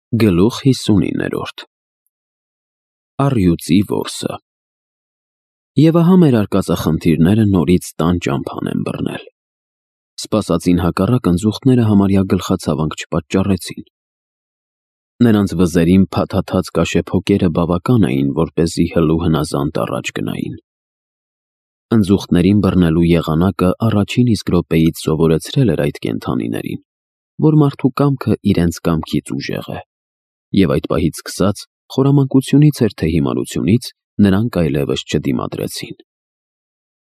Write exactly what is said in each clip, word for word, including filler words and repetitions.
Գլուխ հիսունիններորդ Առյուծի որսը Եվ ահա մեր արկածախնդիրները նորից տան ճամփան են բռնել։ Սպասածին հակառակ ընձուղտները համարյա գլխացավանք չպատճառեցին։ Նրանց վզերին փաթաթած կաշեփոկերը բավական էին, որպեսզի հլու հնազանդ առաջ գնային։ Ընձուղտներին բռնելու եղանակը առաջին իսկ րոպեից սովորեցրել էր այդ կենդանիներին, որ մարդու կամքը իրենց կամքից ուժեղ է, և այդ պահից սկսած, խորամանկությունից էր թե հիմարությունից, նրանք այլևս չդիմադրեցին։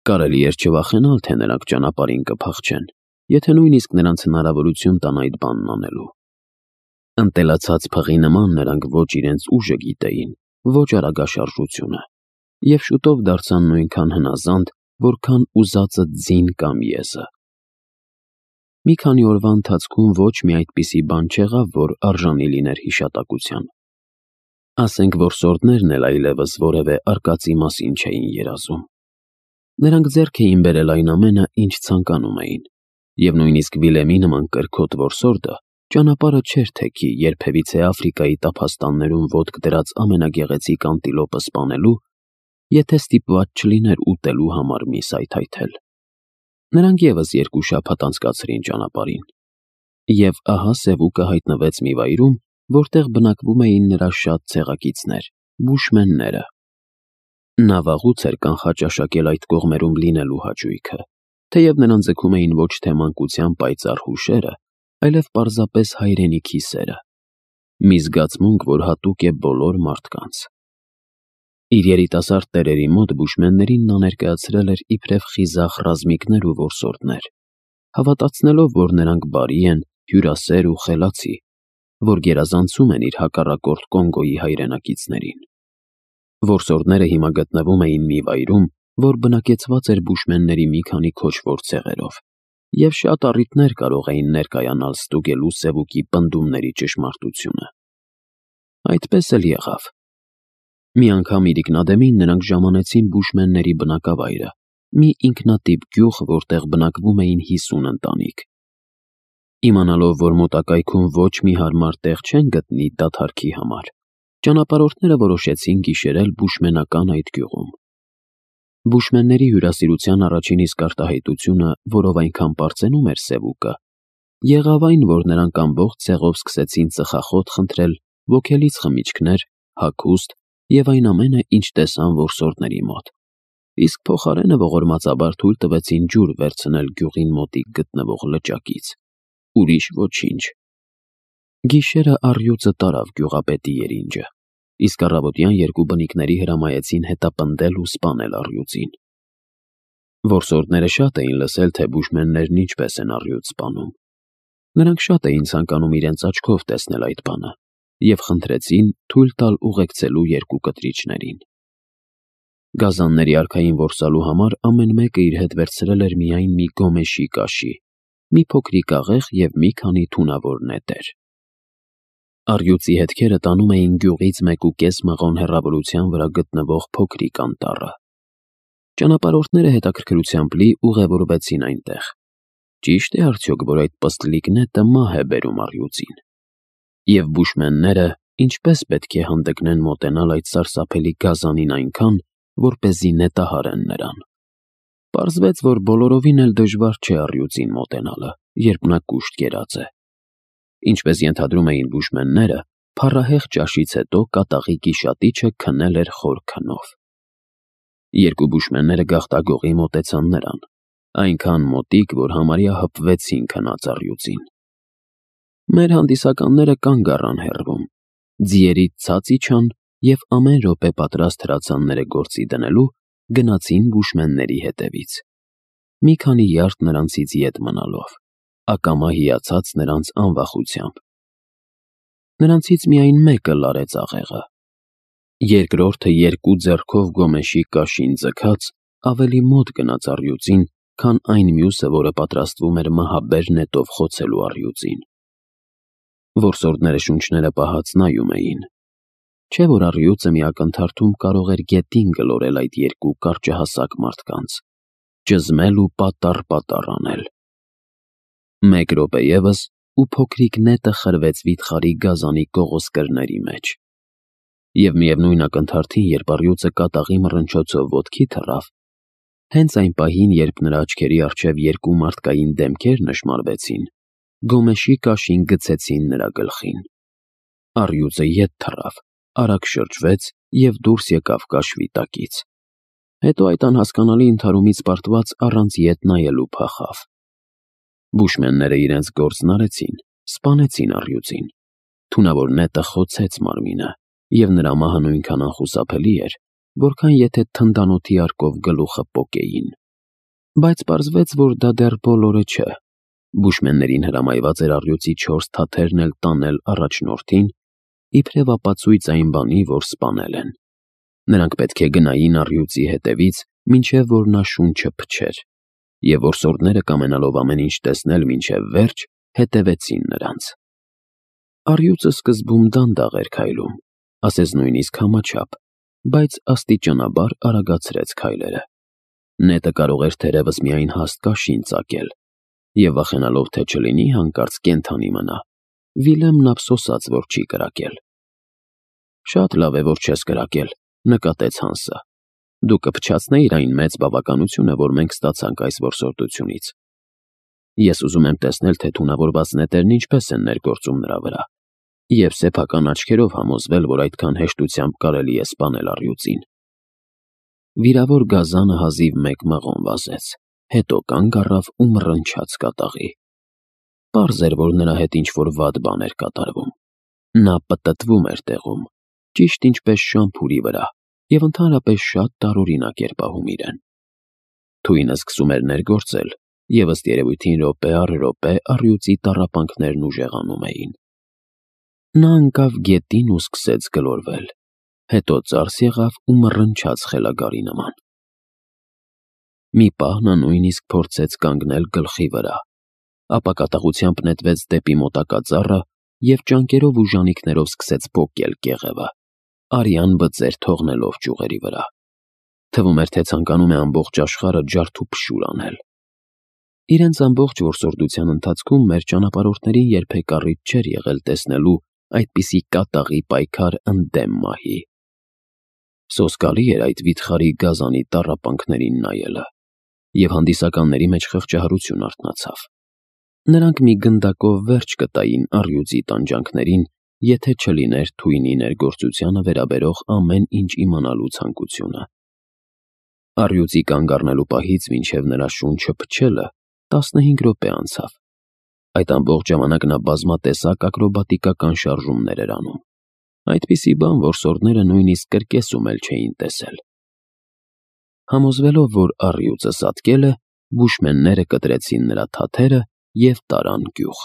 Կարելի էր չվախենալ, թե նրանք ճանապարհին կփախչեն, եթե նույնիսկ նրանց հնարավորություն տան այդ բանն անելու։ Ընտելացած փղի նման նրանք ոչ իրենց ուժը գիտեին, ոչ արագաշարժությունը, և շուտով դարձան նույնքան հնազանդ, որքան ուզածը ձին կամ եզը։ Մի քանի օրվա ընթացքում ոչ մի այդպիսի բան չեղավ, որ արժանի լիներ հիշատակության։ Ասենք որսորդներն էլ այլևս որևէ արկածի մասին չէին երազում։ Նրանք ձեռք էին բերել այն ամենը, ինչ ցանկանում էին, և նույնիսկ Վիլեմի նման կրքոտ որսորդը ճանապարհը չէր թեքի երբևիցե Աֆրիկայի տափաստաններում ոտք դրած ամենագեղեցիկ անտիլոպը սպանելու, եթե ստիպված չլիներ ուտելու համար միս այթայթել։ Նրանք ևս երկու շաբաթ անցկացրին ճանապարհին, և ահա Սևուկը հայտնվեց մի վայրում, որտեղ բնակվում էին նրա շատ ցեղակիցներ՝ բուշմենները։ Նա վաղուց էր կանխաճաշակել այդ կողմերում լինելու հաճույքը, թեև նրան ձգում էին ոչ թե մանկության պայծառ հուշերը, այլև պարզապես հայրենիքի սերը, մի զգացմունք, որ հատուկ է բոլոր մարդկանց։ Իր երիտասարդ տերերի մոտ բուշմեններին նա ներկայացրել էր իբրև խիզախ ռազմիկներ ու որսորդներ, հավատացնելով, որ նրանք բարի են, հյուրասեր ու խելացի, որ գերազանցում են իր հակառակորդ Կոնգոյի հայրենակիցներին։ Որսորդները հիմա գտնվում էին մի վայրում, որ բնակեցված էր բուշմենների մի քանի քոչվոր ցեղերով, և շատ առիթներ կարող էին ներկայանալ ստուգելու Սևուկի պնդումների ճշմարտությունը։ Այդպես էլ եղավ։ Մի անգամ իրիկնադեմին նրանք ժամանեցին բուշմենների բնակավայրը, մի ինքնատիպ գյուղ, որտեղ բնակվում էին հիսուն ընտանիք։ Իմանալով, որ մոտակայքում ոչ մի հարմար տեղ չեն գտնի դադարքի համար, ճանապարհորդները որոշեցին գիշերել բուշմենական այդ գյուղում։ Բուշմենների հյուրասիրության առաջին իսկ արտահայտությունը, որով այնքան պարծենում էր Սևուկը, եղավ այն, որ նրանք ամբողջ ցեղով սկսեցին ծխախոտ խնդրել, ոգելից խմիչքներ, հագուստ և այն ամենը, ինչ տեսան որսորդների մոտ, իսկ փոխարենը ողորմածաբար թույլ տվեցին ջուր վերցնել գյուղին մոտիկ գտնվող լճակից։ Ուրիշ ոչինչ։ Գիշերը առյուծը տարավ գյուղապետի երինջը, իսկ առավոտյան երկու բնիկների հրամայեցին հետապնդել ու սպանել առյուծին։ Որսորդները շատ էին լսել, թե բուշմեններն ինչպես են առյուծ սպանում։ Նրանք շատ էին ցանկանում իրենց աչքով տեսնել այդ բանը և խնդրեցին թույլ տալ ուղեկցելու երկու կտրիչներին։ Գազանների արքային որսալու համար ամեն մեկը իր հետ վերցրել էր միայն մի գոմեշի կաշի, մի փոքրիկ աղեղ և մի քանի թունավոր նետեր։ Առյուծի հետքերը տանում էին գյուղից մեկուկես մղոն հեռավորության վրա գտնվող փոքրիկ անտառը։ Ճանապարհորդները հետաքրքրությամբ լի ուղևորվեցին այնտեղ։ Ճի՞շտ է արդյոք, որ այդ պստլիկ նետը մահ է բերում առյուծին։ Եվ բուշմենները ինչպե՞ս պետք է հանդգնեն մոտենալ այդ սարսափելի գազանին այնքան, որպեսզի նետահարեն նրան։ Պարզվեց, որ բոլորովին էլ դժվար չէ առյուծին մոտենալը, երբ նա կուշտ կերած է։ Ինչպես ենթադրում էին բուշմենները, փառահեղ ճաշից հետո կատաղի գիշատիչը քնել էր խոր քնով։ Երկու բուշմենները գաղտագողի մոտեցան նրան, այնքան մոտիկ, որ համարյա հպվեցին քնած առյուծին։ Մեր հանդիսականները կանգ առան հեռվում, ձիերից ցած իջան և ամեն րոպե պատրաստ հրացանները գործի դնելու գնացին բուշմենների հետևից, մի քանի յարդ նրանցից ետ մնալով, ակամա հիացած նրանց անվախությամբ։ Նրանցից միայն մեկը լարեց աղեղը։ Երկրորդը երկու ձեռքով գոմեշի կաշին ձգած ավելի մոտ գնաց առյուծին, քան այն մյուսը, որը պատրաստվում էր մահաբեր նետով խոցելու առյուծին։ Որսորդները շունչները պահած նայում էին։ Չէ՞ որ առյուծը մի ակնթարթում կարող էր գետին գլորել այդ երկու կարճահասակ մարդկանց, ճզմել ու պատառ-պատառ անել։ Մեկ րոպե ևս, ու փոքրիկ նետը խրվեց վիթխարի գազանի կողոսկրների մեջ։ Եվ միևնույն ակնթարթին, երբ առյուծը կատաղի մռնչոցով ոտքի թռավ, հենց այն պահին, երբ նրա աչքերի առջև երկու մարդկային դեմքեր նշմարվեցին, գոմեշի կաշին գցեցին նրա գլխին։ Առյուծը ետ թռավ, արագ շրջվեց և դուրս եկավ կաշվի տակից։ Հետո այդ անհասկանալի ընդհարումից պարտված առանց ետ նայելու փախավ։ Բուշմենները իրենց գործն արեցին, սպանեցին առյուծին։ Թունավոր նետը խոցեց մարմինը, և նրա մահը նույնքան անխուսափելի էր, որքան եթե թնդանոթի արկով գլուխը պոկեին։ Բայց պարզվեց, որ դա դեռ բոլորը չէ։ Բուշմեններին հրամայված էր առյուծի չորս թաթերն էլ տանել առաջնորդին, իբրև ապացույց այն բանի, որ սպանել են։ Նրանք պետք է գնային առյուծի հետևից, մինչև որ նա շունչը փչեր, և որսորդները, կամենալով ամեն ինչ տեսնել մինչև վերջ, հետևեցին նրանց։ Առյուծը սկզբում դանդաղ էր քայլում, ասես նույնիսկ համաչափ, բայց աստիճանաբար արագացրեց քայլերը։ Նետը կարող էր թերևս միայն հաստ կաշին ծակել, և վախենալով, թե չլինի հանկարծ կենդանի մնա, Վիլեմն ափսոսաց, որ չի կրակել։ «Շատ լավ է, որ չես կրակել», նկատեց Հանսը։ «Դու կփչացնեիր այն մեծ բավականությունը, որ մենք ստացանք այս որսորդությունից։ Ես ուզում եմ տեսնել, թե թունավորված նետերն ինչպես են ներգործում նրա վրա, և սեփական աչքերով համոզվել, որ այդքան հեշտությամբ կարելի է սպանել առյուծին»։ Վիրավոր գազանը հազիվ մեկ մղոն վազեց, հետո կանգ առավ ու մռնչաց կատաղի։ Պարզ էր, որ նրա հետ ինչ-որ վատ բան էր կատարվում։ Նա պտտվում էր տեղում, ճիշտ ինչպես շամփուրի վրա, և ընդհանրապես շատ տարօրինակ էր պահում իրեն։ Թույնը սկսում էր ներգործել, և ըստ երևույթին րոպե առ րոպե առյուծի տառապանքներն ուժեղանում էին։ Նա ընկավ գետին ու սկսեց գլորվել, հետո ծարս եղավ ու մռնչաց խելագարի նման։ Մի պահ նա նույնիսկ փորձեց կանգնել գլխի վրա, ապա կատաղությամբ նետվեց դեպի մոտակա ծառը և ճանկերով ու ժանիքներով սկսեց պոկել կեղևը, արյան բծեր թողնելով ճյուղերի վրա։ Թվում էր, թե ցանկանում է ամբողջ աշխարհը ջարդուփշուր անել։ Իրենց ամբողջ որսորդության ընթացքում մեր ճանապարհորդներին երբեք առիթ չէր եղել տեսնելու այդպիսի կատաղի պայքար ընդդեմ մահի։ Սոսկալի էր այդ վիթխարի գազանի տառապանքներին նայելը, և հանդիսականների մեջ խղճահարություն արթնացավ։ Նրանք մի գնդակով վերջ կտային առյուծի տանջանքներին, եթե չլիներ թույնի ներգործությանը վերաբերող ամեն ինչ իմանալու ցանկությունը։ Առյուծի կանգ առնելու պահից մինչև նրա շունչը փչելը տասնհինգ րոպե անցավ։ Այդ ամբողջ ժամանակ նա բազմատեսակ ակրոբատիկական շարժումներ էր անում։ Այդպիսի բան որսորդները նույնիսկ կրկեսում էլ չէին տեսել։ Համոզվելով, որ առյուծը սատկել է, բուշմենները կտրեցին նրա թաթերը և տարան գյուղ։